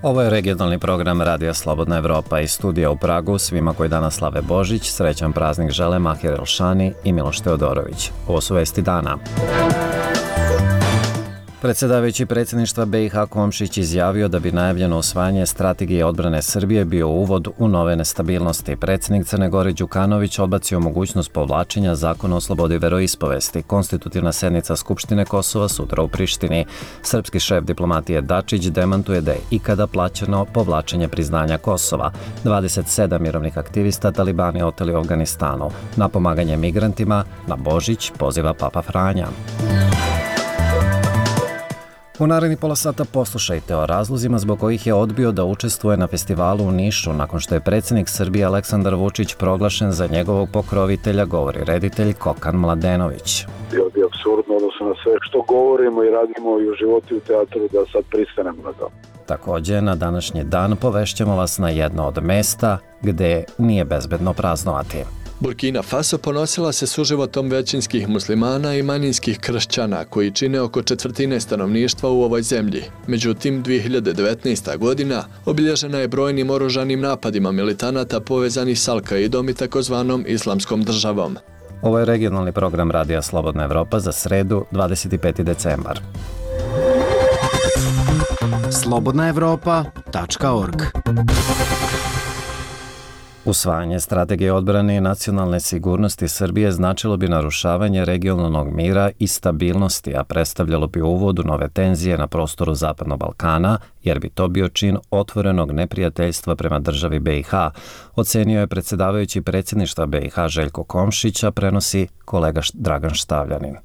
Ovo je regionalni program Radija Slobodna Evropa iz studija u Pragu. Svima koji danas slave Božić, srećan praznik žele Mahir Elšani i Miloš Teodorović. Ovo su vesti dana. Predsjedavajući predsjedništva BiH Komšić izjavio da bi najavljeno usvajanje strategije odbrane Srbije bio uvod u nove nestabilnosti. Predsjednik Crne Gore Đukanović odbacio mogućnost povlačenja zakona o slobodi veroispovesti. Konstitutivna sednica Skupštine Kosova sutra u Prištini. Srpski šef diplomatije Dačić demantuje da je ikada plaćeno povlačenje priznanja Kosova. 27 mirovnih aktivista talibani oteli u Afganistanu. Na pomaganje migrantima na Božić poziva Papa Franja. U narednih pola sata poslušajte o razlozima zbog kojih je odbio da učestvuje na festivalu u Nišu nakon što je predsjednik Srbije Aleksandar Vučić proglašen za njegovog pokrovitelja, govori reditelj Kokan Mladenović. Bilo bi apsurdno odnosno na sve što govorimo i radimo i u životu i u teatru da sad pristanemo na to. Također, na današnji dan povešćemo vas na jedno od mesta gdje nije bezbedno praznovati. Burkina Faso ponosila se suživotom većinskih muslimana i manjinskih kršćana koji čine oko četvrtine stanovništva u ovoj zemlji. Međutim, 2019. godina obilježena je brojnim oružanim napadima militanata povezanih s Al-Kaidom i takozvanom Islamskom državom. Ovo je regionalni program Radija Slobodna Evropa za sredu 25. decembar. slobodnaevropa.org. Usvajanje strategije odbrane i nacionalne sigurnosti Srbije značilo bi narušavanje regionalnog mira i stabilnosti, a predstavljalo bi uvod u nove tenzije na prostoru Zapadnog Balkana, jer bi to bio čin otvorenog neprijateljstva prema državi BiH, ocenio je predsjedavajući predsjedništva BiH Željko Komšić, a prenosi kolega Dragan Štavljanin.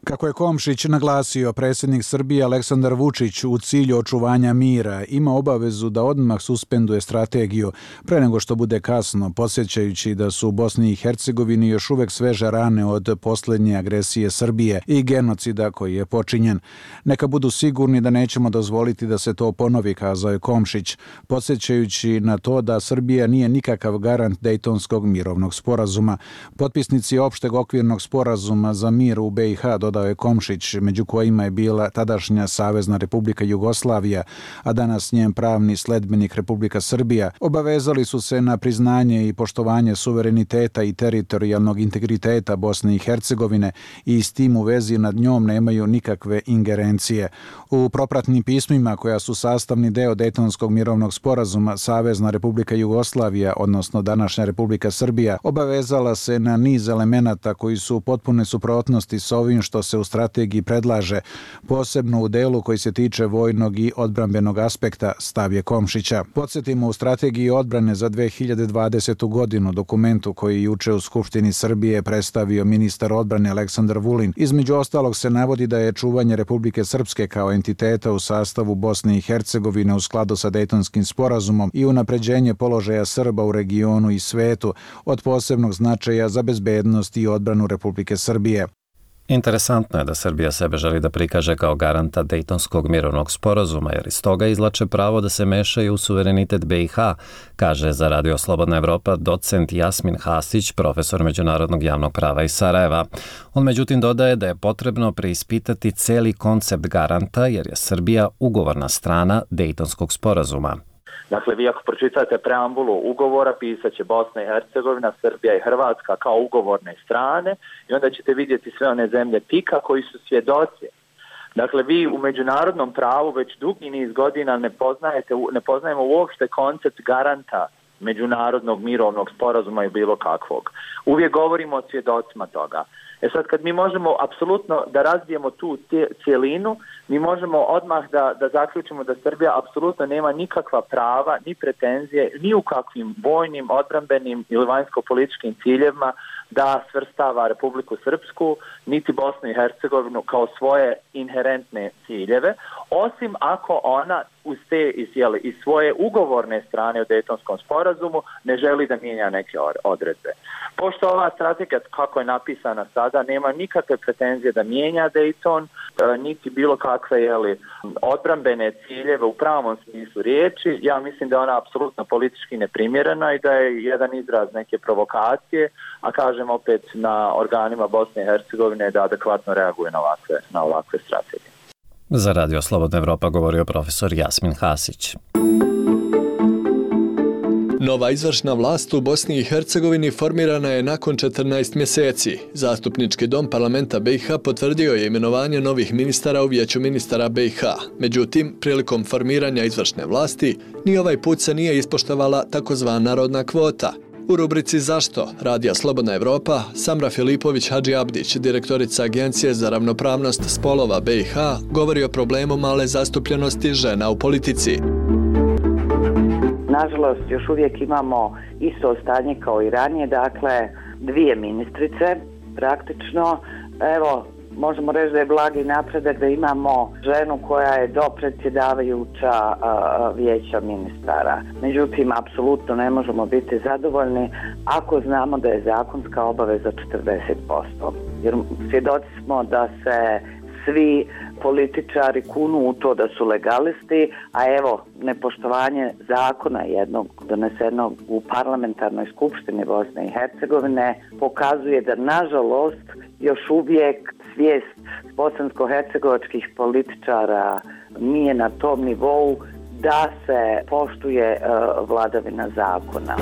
Kako je Komšić naglasio, predsjednik Srbije Aleksandar Vučić u cilju očuvanja mira ima obavezu da odmah suspenduje strategiju pre nego što bude kasno, podsjećajući da su u Bosni i Hercegovini još uvek sveže rane od posljednje agresije Srbije i genocida koji je počinjen. Neka budu sigurni da nećemo dozvoliti da se to ponovi, kazao je Komšić, podsjećajući na to da Srbija nije nikakav garant Dejtonskog mirovnog sporazuma. Potpisnici opšteg okvirnog sporazuma za mir u BiH, dodao je Komšić, među kojima je bila tadašnja Savezna Republika Jugoslavija, a danas njen pravni sledbenik Republika Srbija, obavezali su se na priznanje i poštovanje suvereniteta i teritorijalnog integriteta Bosne i Hercegovine i s tim u vezi nad njom nemaju nikakve ingerencije. U propratnim pismima koja su sastavni deo Dejtonskog mirovnog sporazuma, Savezna Republika Jugoslavija, odnosno današnja Republika Srbija, obavezala se na niz elemenata koji su u potpune suprotnosti s ovim što se u strategiji predlaže, posebno u delu koji se tiče vojnog i odbrambenog aspekta, stav je Komšića. Podsjetimo, u strategiji odbrane za 2020. godinu, dokumentu koji juče u Skupštini Srbije predstavio ministar odbrane Aleksandar Vulin, između ostalog se navodi da je čuvanje Republike Srpske kao entiteta u sastavu Bosne i Hercegovine u skladu sa Dejtonskim sporazumom i unapređenje položaja Srba u regionu i svetu od posebnog značaja za bezbednost i odbranu Republike Srbije. Interesantno je da Srbija sebe želi da prikaže kao garanta Dejtonskog mirovnog sporazuma, jer iz toga izlače pravo da se mešaju u suverenitet BiH, kaže za Radio Slobodna Evropa docent Jasmin Hasić, profesor međunarodnog javnog prava iz Sarajeva. On međutim dodaje da je potrebno preispitati celi koncept garanta, jer je Srbija ugovorna strana Dejtonskog sporazuma. Dakle, vi ako pročitate preambulu ugovora, pisat će Bosna i Hercegovina, Srbija i Hrvatska kao ugovorne strane i onda ćete vidjeti sve one zemlje PIK-a koji su svjedoci. Dakle, vi u međunarodnom pravu već dugi niz godina ne poznajemo uopšte koncept garanta međunarodnog mirovnog sporazuma i bilo kakvog. Uvijek govorimo o svjedocima toga. Sad, kad mi možemo apsolutno da razbijemo tu cijelinu, mi možemo odmah da zaključimo da Srbija apsolutno nema nikakva prava, ni pretenzije, ni u kakvim vojnim, odbrambenim ili vanjsko-političkim ciljevima da svrstava Republiku Srpsku, niti Bosnu i Hercegovinu kao svoje inherentne ciljeve, osim ako ona uz te iz svoje ugovorne strane u Dejtonskom sporazumu ne želi da mijenja neke odredbe. Pošto ova strategija, kako je napisana sada, nema nikakve pretenzije da mijenja Dejton, niti bilo kakve odbrambene ciljeve u pravom smislu riječi, ja mislim da je ona apsolutno politički neprimjerena i da je jedan izraz neke provokacije, a kažem opet na organima Bosne i Hercegovine da adekvatno reaguje na ovakve strategije. Za Radio Slobodna Evropa govorio profesor Jasmin Hasić. Nova izvršna vlast u Bosni i Hercegovini formirana je nakon 14 mjeseci. Zastupnički dom parlamenta BiH potvrdio je imenovanje novih ministara u vijeću ministara BiH. Međutim, prilikom formiranja izvršne vlasti, ni ovaj put se nije ispoštovala takozvana rodna kvota. U rubrici Zašto? Radija Slobodna Evropa, Samra Filipović Hadži Abdić, direktorica Agencije za ravnopravnost spolova BiH, govori o problemu male zastupljenosti žena u politici. Nažalost, još uvijek imamo isto stanje kao i ranije, dakle, 2 ministrice praktično. Evo, možemo reći da je blagi napredak da imamo ženu koja je dopredsjedavajuća vijeća ministara. Međutim, apsolutno ne možemo biti zadovoljni ako znamo da je zakonska obaveza 40%. Jer svjedoci smo da se svi političari kunu u to da su legalisti, a evo, nepoštovanje zakona jednog donesenog u parlamentarnoj skupštini Bosne i Hercegovine pokazuje da, nažalost, još uvijek svijest bosansko-hercegovačkih političara nije na tom nivou da se poštuje vladavina zakona.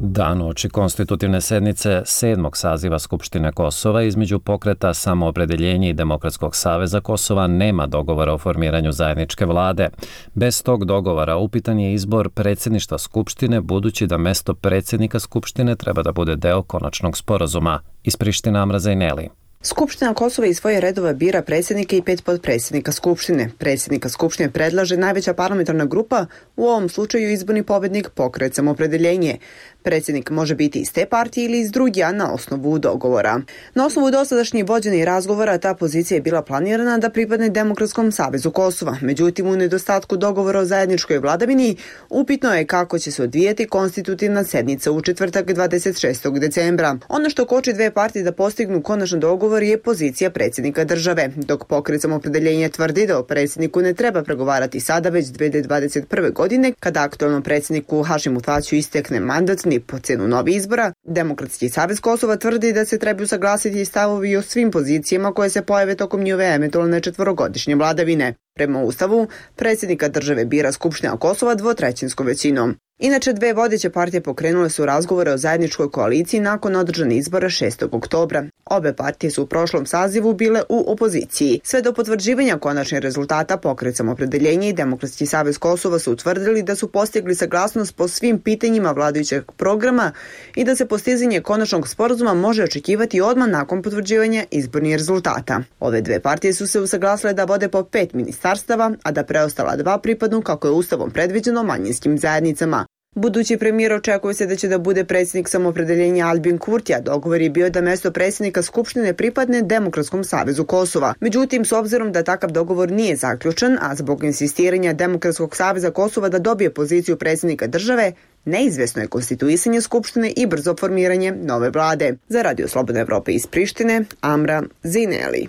Dan uoči konstitutivne sednice 7. saziva Skupštine Kosova između pokreta Samoopredeljenje i Demokratskog saveza Kosova nema dogovora o formiranju zajedničke vlade. Bez tog dogovora upitan je izbor predsjedništva Skupštine, budući da mesto predsjednika Skupštine treba da bude deo konačnog sporazuma. Iz Prištine Amra Zajneli. Skupština Kosova iz svoje redova bira predsjednika i 5 potpredsjednika Skupštine. Predsjednika Skupštine predlaže najveća parlamentarna grupa, u ovom slučaju izborni pobjednik Pokret Samoopredeljenje. Predsjednik može biti iz te partije ili iz drugija na osnovu dogovora. Na osnovu dosadašnjih vođenih razgovora ta pozicija je bila planirana da pripadne Demokratskom savezu Kosova. Međutim, u nedostatku dogovora o zajedničkoj vladavini, upitno je kako će se odvijati konstitutivna sednica u četvrtak 26. decembra. Ono što koči 2 partije da postignu konačan dogovor je pozicija predsjednika države, dok Pokret Samoopredeljenje tvrdi da o predsjedniku ne treba pregovarati sada, već 2021. godine, kada aktualnom predsjedniku Hašimu Tačiju istekne mandat ni po cenu novih izbora. Demokratski savez Kosova tvrdi da se trebaju saglasiti stavovi o svim pozicijama koje se pojave tokom njihove eventualne 4-godišnje vladavine. Prema Ustavu, predsjednika države bira Skupština Kosova 2/3 većinom. Inače, 2 vodeće partije pokrenule su razgovore o zajedničkoj koaliciji nakon održanih izbora 6. oktobra. Obe partije su u prošlom sazivu bile u opoziciji. Sve do potvrđivanja konačnih rezultata Pokret Samoopredeljenje i Demokratski savez Kosova su utvrdili da su postigli saglasnost po svim pitanjima vladajućeg programa i da se postizanje konačnog sporazuma može očekivati odmah nakon potvrđivanja izbornih rezultata. Ove 2 partije su se usaglasile da vode po 5 ministarstava, a da preostala 2 pripadnu, kako je Ustavom predviđeno, manjinskim zajednicama. Budući premijer očekuje se da će da bude predsjednik Samoopredeljenja Albin Kurti, a dogovor je bio da mjesto predsjednika Skupštine pripadne Demokratskom savezu Kosova. Međutim, s obzirom da takav dogovor nije zaključen, a zbog insistiranja Demokratskog saveza Kosova da dobije poziciju predsjednika države, neizvjesno je konstituisanje Skupštine i brzo formiranje nove vlade. Za Radio Slobodna Evropa iz Prištine, Amra Zajneli.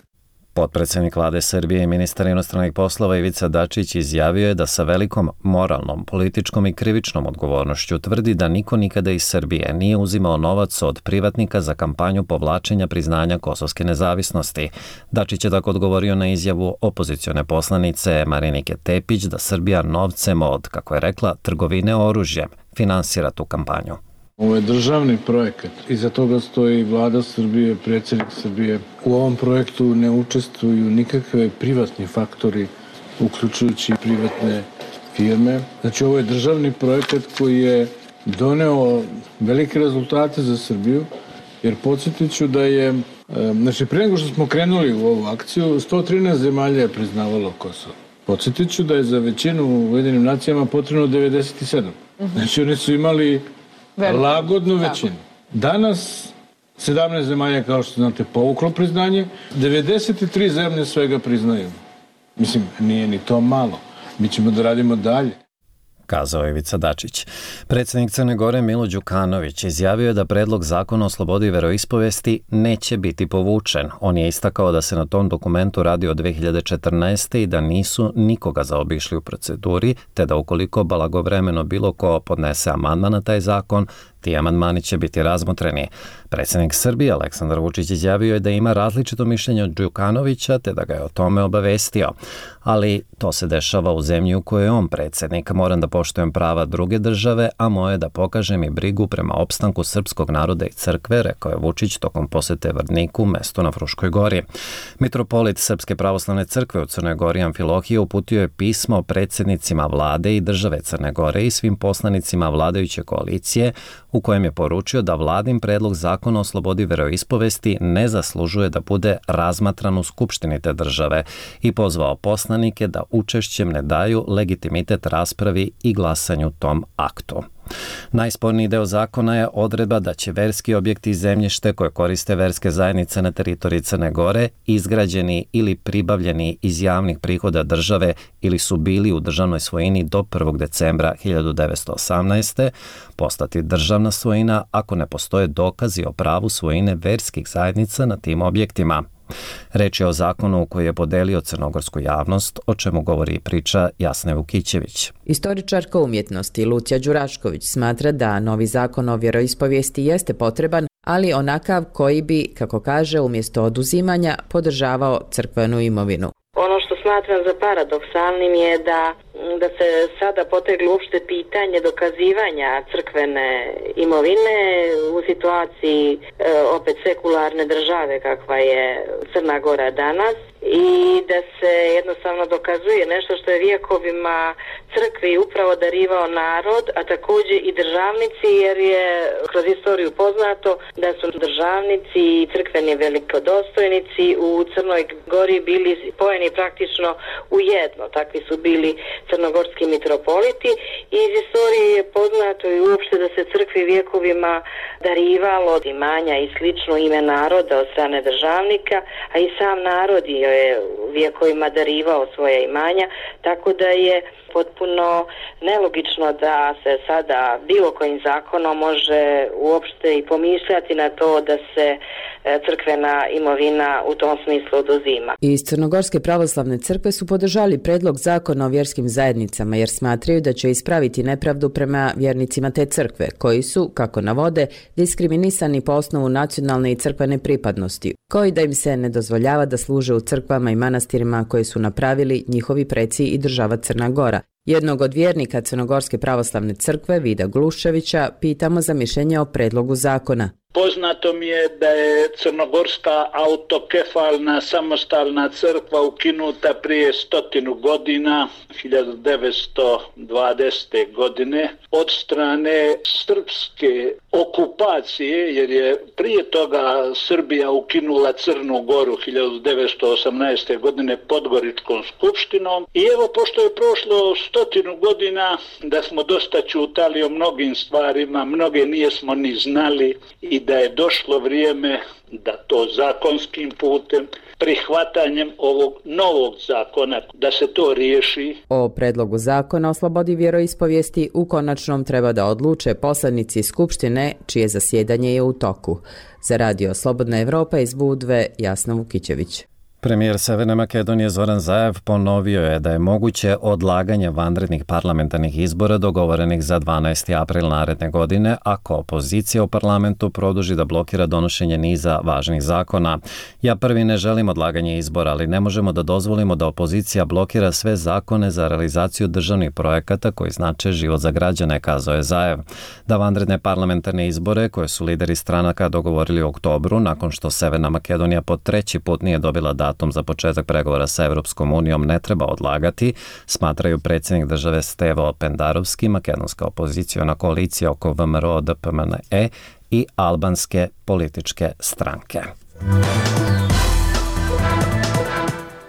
Potpredsjednik vlade Srbije i ministar inostranih poslova Ivica Dačić izjavio je da sa velikom moralnom, političkom i krivičnom odgovornošću tvrdi da niko nikada iz Srbije nije uzimao novac od privatnika za kampanju povlačenja priznanja kosovske nezavisnosti. Dačić je tako odgovorio na izjavu opozicione poslanice Marinike Tepić da Srbija novcem od, kako je rekla, trgovine oružjem finansira tu kampanju. Ovo je državni projekat. Iza toga stoji vlada Srbije, predsjednik Srbije. U ovom projektu ne učestvuju nikakve privatni faktori, uključujući privatne firme. Znači, ovo je državni projekat koji je doneo velike rezultate za Srbiju, jer podsjetit ću da je, prije nego što smo krenuli u ovu akciju, 113 zemalja je priznavalo Kosovo. Podsjetit ću da je za većinu u Ujedinim nacijama potrebno 97. Znači, oni su imali lagodnu većinu. Danas 17 zemalja, kao što znate, povuklo priznanje, 93 zemlje svega priznaju. Mislim, nije ni to malo. Mi ćemo da radimo dalje. Kazao je Ivica Dačić. Predsjednik Crne Gore Milo Đukanović izjavio je da predlog zakona o slobodi veroispovesti neće biti povučen. On je istakao da se na tom dokumentu radi od 2014. i da nisu nikoga zaobišli u proceduri, te da ukoliko blagovremeno bilo ko podnese amandman na taj zakon, Ti amandmani će biti razmotreni. Predsjednik Srbije Aleksandar Vučić izjavio je da ima različito mišljenje od Đukanovića te da ga je o tome obavestio. Ali to se dešava u zemlji u kojoj je on predsjednik. Moram da poštujem prava druge države, a moje je da pokažem i brigu prema opstanku srpskog naroda i crkve, rekao je Vučić tokom posete Vrdniku, mestu na Fruškoj gori. Mitropolit Srpske pravoslavne crkve u Crnoj Gori Amfilohije uputio je pismo predsjednicima vlade i države Crne Gore i svim poslanicima vladajuće koalicije u kojem je poručio da vladin predlog zakona o slobodi veroispovesti ne zaslužuje da bude razmatran u skupštini te države i pozvao poslanike da učešćem ne daju legitimitet raspravi i glasanju tom aktu. Najsporniji deo zakona je odredba da će verski objekti i zemljište koje koriste verske zajednice na teritoriji Crne Gore, izgrađeni ili pribavljeni iz javnih prihoda države ili su bili u državnoj svojini do 1. decembra 1918. postati državna svojina ako ne postoje dokazi o pravu svojine verskih zajednica na tim objektima. Reč je o zakonu koji je podelio crnogorsku javnost, o čemu govori i priča Jasne Vukićević. Istoričarka umjetnosti Lucija Đurašković smatra da novi zakon o vjeroispovijesti jeste potreban, ali onakav koji bi, kako kaže, umjesto oduzimanja podržavao crkvenu imovinu. Ono što smatram za paradoksalnim je da se sada poteglo uopšte pitanje dokazivanja crkvene imovine u situaciji opet sekularne države kakva je Crna Gora danas i da se jednostavno dokazuje nešto što je vjekovima crkvi upravo darivao narod, a također i državnici, jer je kroz istoriju poznato da su državnici i crkveni velikodostojnici u Crnoj Gori bili spojeni praktično u jedno. Takvi su bili crnogorski mitropoliti i iz istorije je poznato i uopšte da se crkvi vjekovima darivalo imanja i slično ime naroda od strane državnika, a i sam narod je vjekovima darivao svoje imanja, tako da je potpuno nelogično da se sada bilo kojim zakonom može uopšte i pomišljati na to da se crkvena imovina u tom smislu oduzima. Iz Crnogorske pravoslavne crkve su podržali predlog zakona o vjerskim zajednicama jer smatraju da će ispraviti nepravdu prema vjernicima te crkve, koji su, kako navode, diskriminisani po osnovu nacionalne i crkvene pripadnosti, koji da im se ne dozvoljava da služe u crkvama i manastirima koje su napravili njihovi preci i država Crna Gora. Jednog od vjernika Crnogorske pravoslavne crkve, Vida Gluševića, pitamo za mišljenje o predlogu zakona. Poznato mi je da je Crnogorska autokefalna samostalna crkva ukinuta prije 100 godina, 1920. godine, od strane srpske okupacije, jer je prije toga Srbija ukinula Crnu Goru 1918. godine Podgoričkom skupštinom. I evo, pošto je prošlo 100 godina, da smo dosta čutali o mnogim stvarima, mnoge nijesmo ni znali i da je došlo vrijeme da to zakonskim putem, prihvatanjem ovog novog zakona, da se to riješi. O predlogu zakona o slobodi vjeroispovijesti u konačnom treba da odluče poslanici Skupštine, čije zasjedanje je u toku. Za Radio Slobodna Evropa iz Budve, Jasna Vukićević. Premijer Severne Makedonije Zoran Zaev ponovio je da je moguće odlaganje vanrednih parlamentarnih izbora dogovorenih za 12. april naredne godine ako opozicija u parlamentu produži da blokira donošenje niza važnih zakona. Ja prvi ne želim odlaganje izbora, ali ne možemo da dozvolimo da opozicija blokira sve zakone za realizaciju državnih projekata koji znače život za građane, kazao je Zaev. Da vanredne parlamentarne izbore koje su lideri stranaka dogovorili u oktobru nakon što Severna Makedonija po treći put nije dobila datum za početak pregovora sa Evropskom unijom ne treba odlagati, smatraju predsjednik države Stevo Pendarovski, makedonska opoziciona koalicija oko VMRO DPMNE i albanske političke stranke.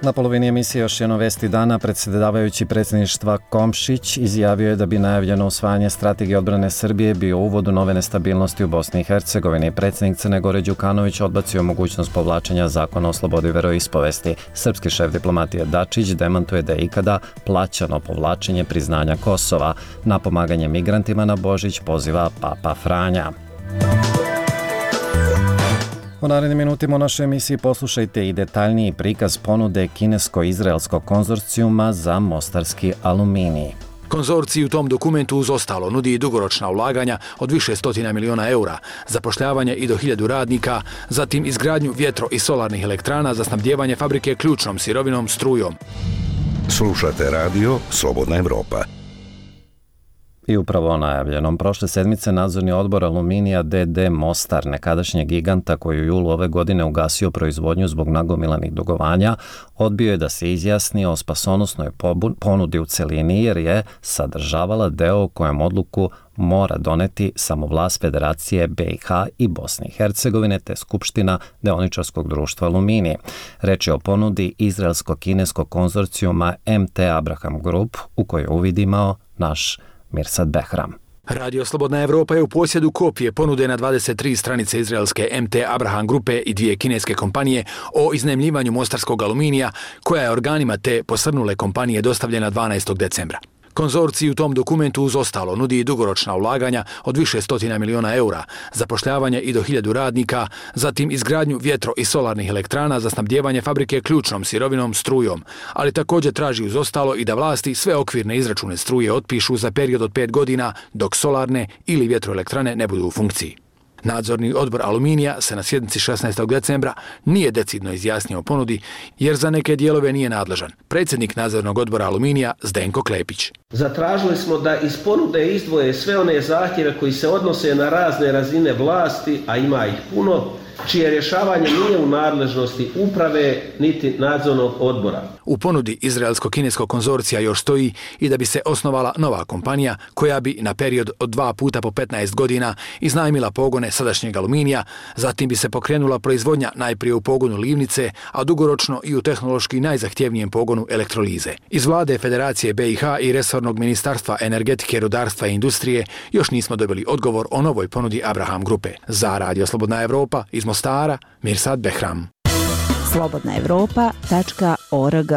Na polovini emisije još jedno vesti dana, predsjedavajući predsjedništva Komšić izjavio je da bi najavljeno usvajanje strategije odbrane Srbije bio uvod u nove nestabilnosti u Bosni i Hercegovini. Predsjednik Crne Gore Đukanović odbacio mogućnost povlačenja zakona o slobodi veroispovesti. Srpski šef diplomatije Dačić demantuje da je ikada plaćano povlačenje priznanja Kosova. Na pomaganje migrantima na Božić poziva Papa Franja. U narednim minutima u našoj emisiji poslušajte i detaljniji prikaz ponude kinesko-izraelskog konzorcijuma za mostarski aluminij. Konzorcij u tom dokumentu uz ostalo nudi i dugoročna ulaganja od više stotina miliona eura, zapošljavanje i do 1000 radnika, zatim izgradnju vjetro- i solarnih elektrana za snabdijevanje fabrike ključnom sirovinom strujom. Slušate radio Slobodna Evropa. I upravo o najavljenom. Prošle sedmice nadzorni odbor Aluminija D.D. Mostar, nekadašnjeg giganta koji u julu ove godine ugasio proizvodnju zbog nagomilanih dugovanja, odbio je da se izjasni o spasonosnoj ponudi u celini jer je sadržavala deo u kojem odluku mora doneti samo vlast Federacije BiH i Bosne i Hercegovine te Skupština deoničarskog društva Aluminije. Reč je o ponudi izraelsko-kineskog konzorcijuma MT Abraham Group u kojoj je uvid imao naš Mirsad Behram. Radio Slobodna Evropa je u posjedu kopije ponude na 23 stranice izraelske MT Abraham grupe i 2 kineske kompanije o iznajmljivanju mostarskog aluminija koja je organima te posrnule kompanije dostavljena 12. decembra. Konzorcij u tom dokumentu uz ostalo nudi i dugoročna ulaganja od više stotina miliona eura, zapošljavanje i do 1000 radnika, zatim izgradnju vjetro- i solarnih elektrana za snabdijevanje fabrike ključnom sirovinom strujom, ali također traži uz ostalo i da vlasti sve okvirne izračune struje otpišu za period od 5 godina dok solarne ili vjetroelektrane ne budu u funkciji. Nadzorni odbor Aluminija se na sjednici 16. decembra nije decidno izjasnio o ponudi jer za neke dijelove nije nadležan. Predsjednik nadzornog odbora Aluminija Zdenko Klepić. Zatražili smo da iz ponude izdvoje sve one zahtjeve koji se odnose na razne razine vlasti, a ima ih puno, čije rješavanje nije u nadležnosti uprave niti nadzornog odbora. U ponudi izraelsko-kineskog konzorcija još stoji i da bi se osnovala nova kompanija koja bi na period od 2 puta po 15 godina iznajmila pogone sadašnjeg Aluminija, zatim bi se pokrenula proizvodnja najprije u pogonu livnice, a dugoročno i u tehnološki najzahtjevnijem pogonu elektrolize. Iz vlade Federacije BiH i resornog ministarstva energetike, rudarstva i industrije još nismo dobili odgovor o novoj ponudi Abraham grupe. Za Radio Slobodna Evropa iz Mostara, Mirsad Behram. slobodnaevropa.org.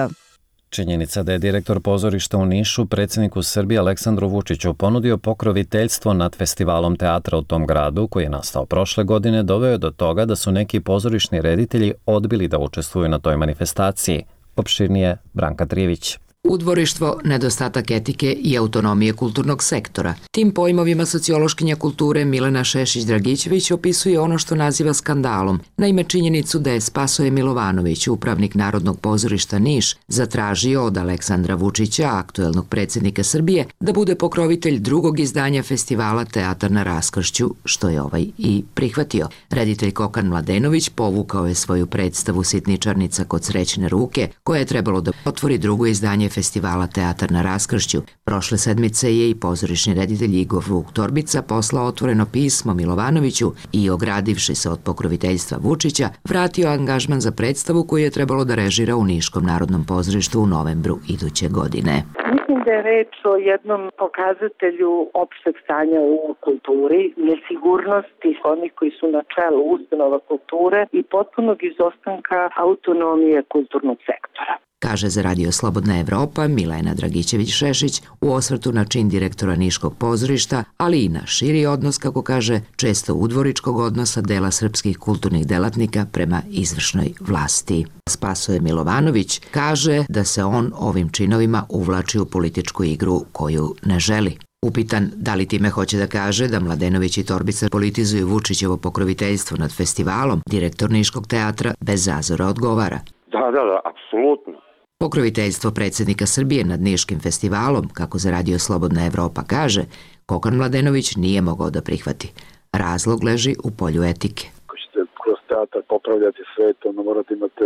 Činjenica da je direktor pozorišta u Nišu predsjedniku Srbije Aleksandru Vučiću ponudio pokroviteljstvo nad festivalom teatra u tom gradu, koji je nastao prošle godine, doveo do toga da su neki pozorišni reditelji odbili da učestvuju na toj manifestaciji. Opširnije Branka Trivić. Udvorištvo, nedostatak etike i autonomije kulturnog sektora. Tim pojmovima sociološkinja kulture Milena Šešić-Dragićević opisuje ono što naziva skandalom. Naime, činjenicu da je Spasoje Milovanović, upravnik Narodnog pozorišta Niš, zatražio od Aleksandra Vučića, aktuelnog predsjednika Srbije, da bude pokrovitelj drugog izdanja festivala Teatar na raskršću, što je ovaj i prihvatio. Reditelj Kokan Mladenović povukao je svoju predstavu Sitničarnica kod srećne ruke, koja je trebalo da otvori drugo izdanje festivala Teatar na raskršću. Prošle sedmice je i pozorišni reditelj Igor Vuk Torbica poslao otvoreno pismo Milovanoviću i, ogradivši se od pokroviteljstva Vučića, vratio angažman za predstavu koju je trebalo da režira u Niškom narodnom pozorištu u novembru iduće godine. Mislim da je reč o jednom pokazatelju opšteg stanja u kulturi, nesigurnosti onih koji su na čelu ustanova kulture i potpunog izostanka autonomije kulturnog sektora. Kaže za Radio Slobodna Evropa Milena Dragićević-Šešić u osvrtu na čin direktora Niškog pozorišta, ali i na širi odnos, kako kaže, često udvoričkog odnosa dela srpskih kulturnih delatnika prema izvršnoj vlasti. Spasoje Milovanović kaže da se on ovim činovima uvlači u političku igru koju ne želi. Upitan da li time hoće da kaže da Mladenović i Torbica politizuju Vučićevo pokroviteljstvo nad festivalom, direktor Niškog teatra bez zazora odgovara. Da, apsolutno. Pokroviteljstvo predsjednika Srbije nad Niškim festivalom, kako za Radio Slobodna Evropa kaže, Kokan Mladenović nije mogao da prihvati. Razlog leži u polju etike. Ako ćete kroz teatar popravljati svet, onda morate imati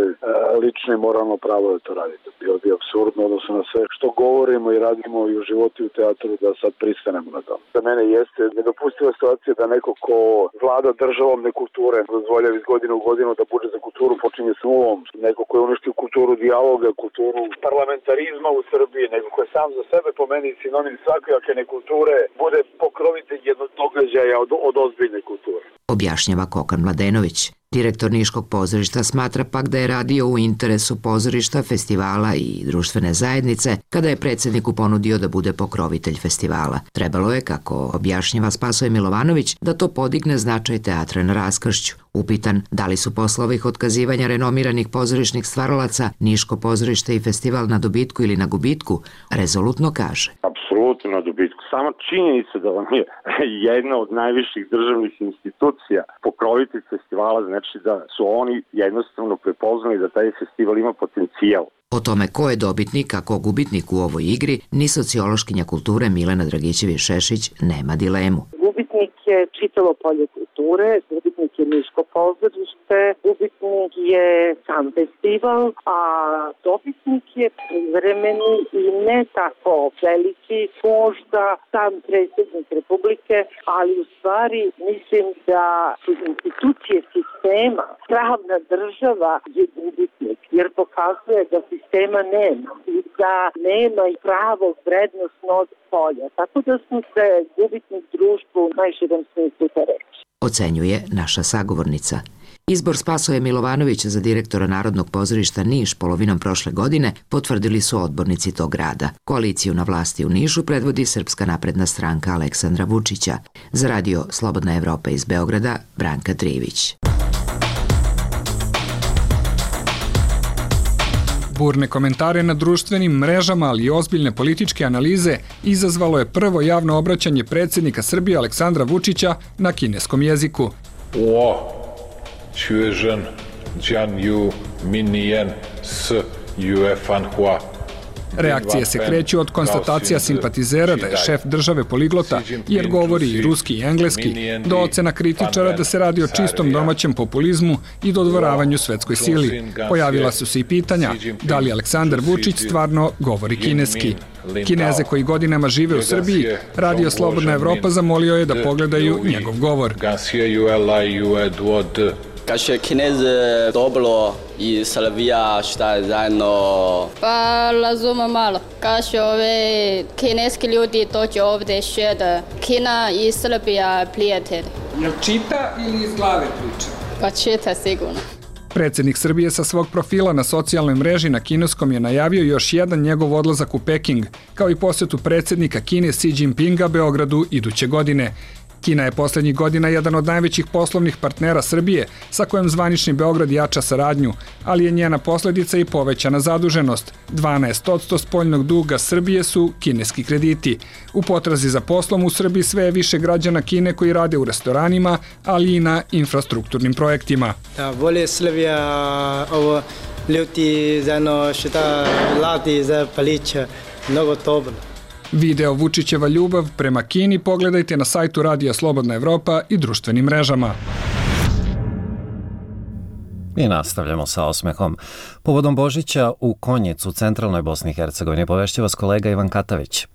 lično i moralno pravo da to radite. Bilo bi apsurdno odnosno na sve što govorimo i radimo i u životu i u teatru da sad pristanemo na to. Za mene jeste nedopustiva situacija da neko ko vlada državom nekulture dozvoljava iz godine u godinu da budžet za kulturu počinje s nulom. Neko ko je uništio kulturu dijaloga, kulturu parlamentarizma u Srbiji, neko ko je sam za sebe po meni sinonim svakojake nekulture, bude pokrovitelj jednog događaja od ozbiljne kulture. Objašnjava Kokan Mladenović. Direktor Niškog pozorišta smatra pak da je radio u interesu pozorišta, festivala i društvene zajednice kada je predsjedniku ponudio da bude pokrovitelj festivala. Trebalo je, kako objašnjava Spasoje Milovanović, da to podigne značaj teatra na raskršću. Upitan da li su posle ovih otkazivanja renomiranih pozorišnih stvaralaca Niško pozorište i festival na dobitku ili na gubitku, rezolutno kaže. Apsolutno na dobitku. Sama činjenica da vam je jedna od najviših državnih institucija pokrovitelj festivala, znači da su oni jednostavno prepoznali da taj festival ima potencijal. O tome ko je dobitnik, a ko gubitnik u ovoj igri, ni sociološkinja kulture Milena Dragićević-Šešić nema dilemu. Gubitnik je čitavo polje kulture, gubitnik je Niško pozorište, gubitnik je sam festival, a dobitnik je privremeni i ne tako veliki, možda sam predsjednik Republike, ali u stvari mislim da su institucije sistema, pravna država je gubitnik, jer pokazuje da sistema nema i da nema i pravog vrednosnog polja. Tako da smo se gubitnik društvu u najširem smislu te reči. Ocenjuje naša sagovornica. Izbor Spasoje Milovanovića za direktora Narodnog pozorišta Niš polovinom prošle godine potvrdili su odbornici tog grada. Koaliciju na vlasti u Nišu predvodi Srpska napredna stranka Aleksandra Vučića. Za radio Slobodna Evropa iz Beograda, Branka Trivić. Burne komentare na društvenim mrežama, ali i ozbiljne političke analize izazvalo je prvo javno obraćanje predsjednika Srbije Aleksandra Vučića na kineskom jeziku. Reakcije se kreću od konstatacija simpatizera da je šef države poliglota, jer govori i ruski i engleski, do ocena kritičara da se radi o čistom domaćem populizmu i dodvoravanju svetskoj sili. Pojavila su se i pitanja da li Aleksandar Vučić stvarno govori kineski. Kineze koji godinama žive u Srbiji, Radio Slobodna Evropa zamolio je da pogledaju njegov govor. Kaže Kinez dobro i Srbija šta je zajedno? Pa razumem malo. Kaže ove kineski ljudi dođu ovdje šeda. Kina i Srbija prijatelji. Jel čita ili iz glave priča? Pa čita sigurno. Predsjednik Srbije sa svog profila na socijalnoj mreži na kineskom je najavio još jedan njegov odlazak u Peking, kao i posjetu predsjednika Kine Xi Jinpinga Beogradu iduće godine. Kina je posljednjih godina jedan od najvećih poslovnih partnera Srbije, sa kojim zvanični Beograd jača saradnju, ali je njena posljedica i povećana zaduženost. 12% spoljnog duga Srbije su kineski krediti. U potrazi za poslom u Srbiji sve je više građana Kine koji rade u restoranima, ali i na infrastrukturnim projektima. Bolje Srbija ovo ljudi zajedno šta radi za palića, mnogo dobro. Video Vučićeva ljubav prema Kini pogledajte na sajtu Radija Slobodna Evropa i društvenim mrežama. I nastavljamo sa osmehom. Povodom Božića u Konjicu, centralnoj Bosni i Hercegovini, povešće vas kolega Ivan Katavić.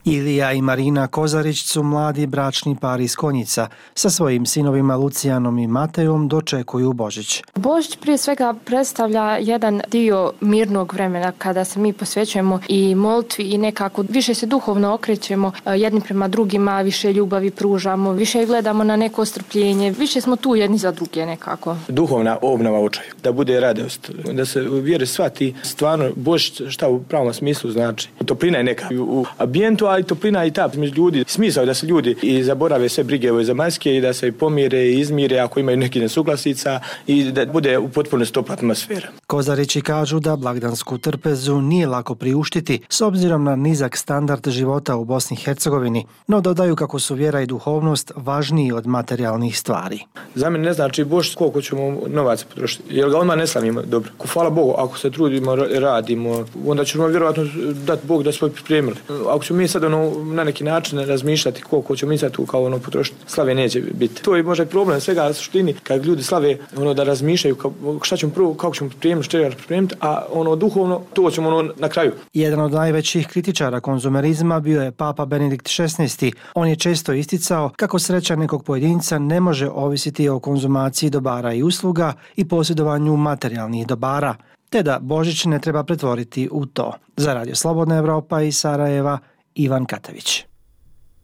Ilija i Marina Kozarić su mladi bračni par iz Konjica. Sa svojim sinovima Lucijanom i Matejom dočekuju Božić. Božić prije svega predstavlja jedan dio mirnog vremena kada se mi posvećujemo i molitvi i nekako više se duhovno okrećemo jedni prema drugima, više ljubavi pružamo, više gledamo na neko strpljenje, više smo tu jedni za druge nekako. Duhovna obnova očaju, da bude radost, da se u vjeri shvati stvarno Božić šta u pravom smislu znači. Toplina je neka u ambijentu, i toplina i ta među ljudi. Smisao je da se ljudi i zaborave sve brige ove zemaljske i da se pomire i izmire ako imaju neki nesuglasica i da bude u potpunosti topla atmosfera. Kozarići kažu da blagdansku trpezu nije lako priuštiti s obzirom na nizak standard života u Bosni i Hercegovini, no dodaju kako su vjera i duhovnost važniji od materijalnih stvari. Za mene ne znači Božić koliko ćemo novaca potrošiti, jer ga odmah ne slavimo dobro. Hvala Bogu, ako se trudimo, radimo, onda ćemo vjerovatno dati Bog da smo pripremili. Ako ćemo mi sad na neki način razmišljati koliko ćemo mi sad tu kao potrošiti, slave neće biti. To je možda problem svega suštini, kad ljudi slave da razmišljaju šta ćemo prvo, kako ćemo pripremiti, a duhovno to ćemo na kraju. Jedan od najvećih kritičara konzumerizma bio je Papa Benedikt XVI. On je često isticao kako sreća nekog pojedinca ne može ovisiti o konzumaciji dobara i usluga i posjedovanju materijalnih dobara, te da Božić ne treba pretvoriti u to. Za Radio Slobodna Evropa iz Sarajeva, Ivan Katavić.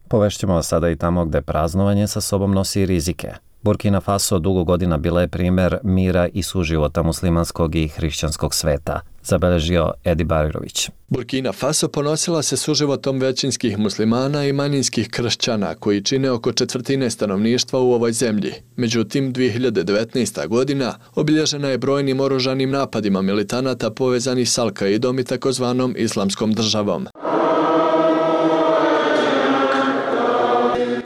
Povešćemo vas sada i tamo gde praznovanje sa sobom nosi rizike. Burkina Faso dugo godina bila je primjer mira i suživota muslimanskog i hrišćanskog sveta, zabeležio Edi Bajrović. Burkina Faso ponosila se suživotom većinskih muslimana i manjinskih kršćana koji čine oko četvrtine stanovništva u ovoj zemlji. Međutim, 2019. godina obilježena je brojnim oružanim napadima militanata povezanih s Al-Kaidom i takozvanom Islamskom državom.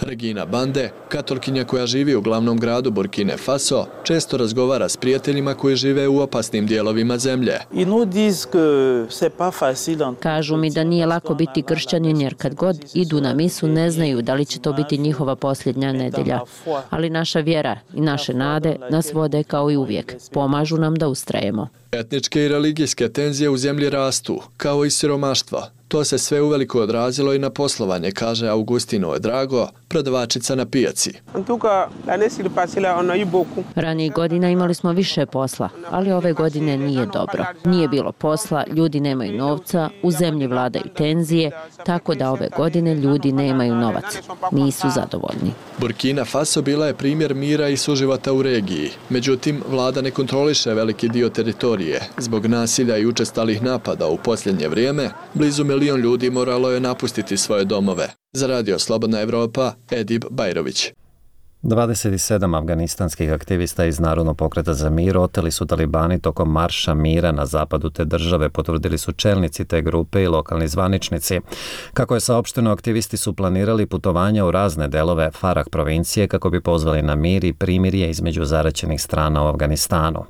Regina Bande, katolkinja koja živi u glavnom gradu Burkine Faso, često razgovara s prijateljima koji žive u opasnim dijelovima zemlje. Kažu mi da nije lako biti kršćanin jer kad god idu na misu ne znaju da li će to biti njihova posljednja nedelja. Ali naša vjera i naše nade nas vode kao i uvijek. Pomažu nam da ustrajemo. Etničke i religijske tenzije u zemlji rastu, kao i siromaštvo. To se sve uveliko odrazilo i na poslovanje, kaže Augustino Drago, prodavačica na pijaci. Ranijih godina imali smo više posla, ali ove godine nije dobro. Nije bilo posla, ljudi nemaju novca, u zemlji vladaju tenzije, tako da ove godine ljudi nemaju novac. Nisu zadovoljni. Burkina Faso bila je primjer mira i suživota u regiji. Međutim, vlada ne kontroliše veliki dio teritorije. Zbog nasilja i učestalih napada u posljednje vrijeme, blizu 1 milion ljudi moralo je napustiti svoje domove. Za Radio Slobodna Evropa, Edib Bajrović. 27 afganistanskih aktivista iz Narodnog pokreta za mir oteli su talibani tokom marša mira na zapadu te države, potvrdili su čelnici te grupe i lokalni zvaničnici. Kako je saopšteno, aktivisti su planirali putovanja u razne delove Farah provincije kako bi pozvali na mir i primirje između zaraćenih strana u Afganistanu.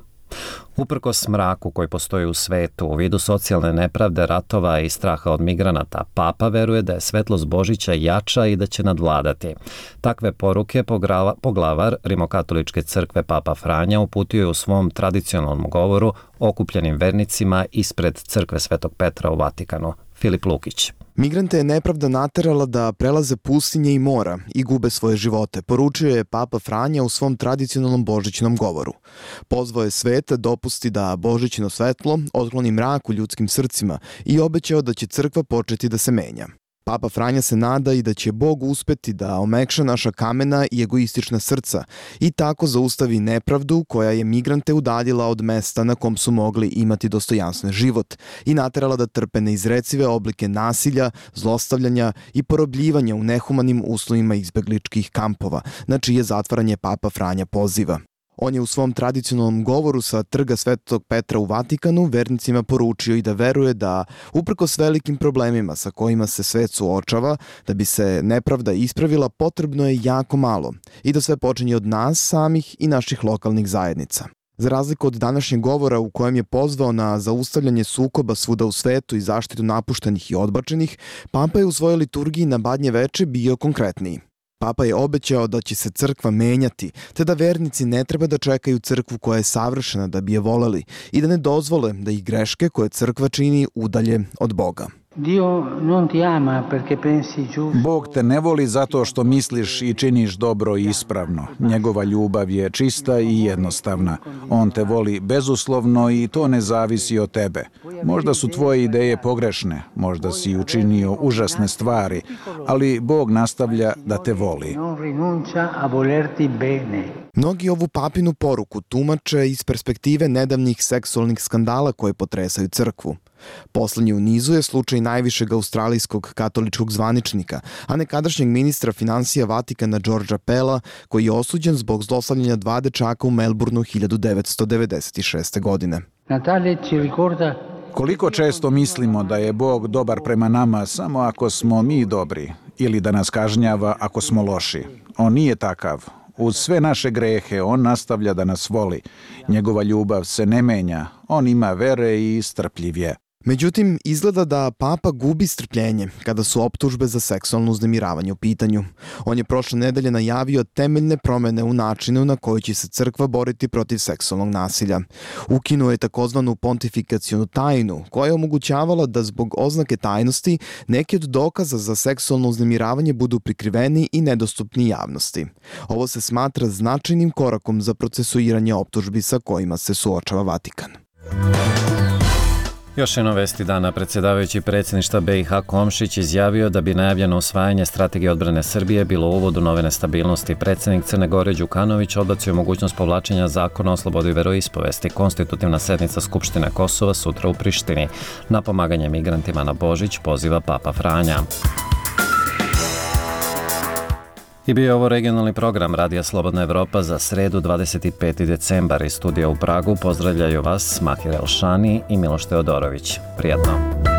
Uprkos mraku koji postoji u svetu, u vidu socijalne nepravde, ratova i straha od migranata, Papa veruje da je svetlost Božića jača i da će nadvladati. Takve poruke poglavar Rimokatoličke crkve Papa Franja uputio je u svom tradicionalnom govoru okupljenim vernicima ispred crkve Svetog Petra u Vatikanu. Filip Lukić. Migrante je nepravda naterala da prelaze pustinje i mora i gube svoje živote, poručio je Papa Franja u svom tradicionalnom božićnom govoru. Pozvao je svet dopusti da božićno svetlo otkloni mrak u ljudskim srcima i obećao da će crkva početi da se menja. Papa Franja se nada i da će Bog uspeti da omekša naša kamena i egoistična srca i tako zaustavi nepravdu koja je migrante udaljila od mesta na kom su mogli imati dostojanstven život i naterala da trpe neizrecive oblike nasilja, zlostavljanja i porobljivanja u nehumanim uslovima izbegličkih kampova, na čije zatvaranje Papa Franja poziva. On je u svom tradicionalnom govoru sa trga Svetog Petra u Vatikanu vernicima poručio i da veruje da, uprkos velikim problemima sa kojima se svet suočava, da bi se nepravda ispravila potrebno je jako malo i da sve počinje od nas samih i naših lokalnih zajednica. Za razliku od današnjeg govora u kojem je pozvao na zaustavljanje sukoba svuda u svetu i zaštitu napuštenih i odbačenih, Papa je u svojoj liturgiji na Badnje veče bio konkretniji. Papa je obećao da će se crkva menjati, te da vernici ne treba da čekaju crkvu koja je savršena da bi je voleli i da ne dozvole da ih greške koje crkva čini udalje od Boga. Bog te ne voli zato što misliš i činiš dobro i ispravno. Njegova ljubav je čista i jednostavna. On te voli bezuslovno i to ne zavisi od tebe. Možda su tvoje ideje pogrešne, možda si učinio užasne stvari, ali Bog nastavlja da te voli. Mnogi ovu papinu poruku tumače iz perspektive nedavnih seksualnih skandala koje potresaju crkvu. Poslednji u nizu je slučaj najvišeg australijskog katoličkog zvaničnika, a nekadašnjeg ministra finansija Vatikana Georgea Pella, koji je osuđen zbog zlostavljanja 2 dečaka u Melbourneu 1996. godine. Koliko često mislimo da je Bog dobar prema nama samo ako smo mi dobri ili da nas kažnjava ako smo loši. On nije takav. Uz sve naše grehe, on nastavlja da nas voli. Njegova ljubav se ne menja. On ima vere i strpljiv je. Međutim, izgleda da Papa gubi strpljenje kada su optužbe za seksualno uznemiravanje u pitanju. On je prošle nedelje najavio temeljne promene u načinu na koji će se crkva boriti protiv seksualnog nasilja. Ukinuo je takozvanu pontifikacionu tajnu, koja je omogućavala da zbog oznake tajnosti neki od dokaza za seksualno uznemiravanje budu prikriveni i nedostupni javnosti. Ovo se smatra značajnim korakom za procesuiranje optužbi sa kojima se suočava Vatikan. Još jedno vesti dana, predsjedavajući predsjedništva BiH Komšić izjavio da bi najavljeno usvajanje strategije odbrane Srbije bilo uvod u nove nestabilnosti. Predsjednik Crne Gore Đukanović odbacio mogućnost povlačenja zakona o slobodi veroispovesti. Konstitutivna sednica Skupštine Kosova sutra u Prištini. Na pomaganje migrantima na Božić poziva Papa Franja. I bio je ovo regionalni program Radija Slobodna Evropa za sredu 25. decembar. Iz studija u Pragu pozdravljaju vas Mahir Elšani i Miloš Teodorović. Prijatno!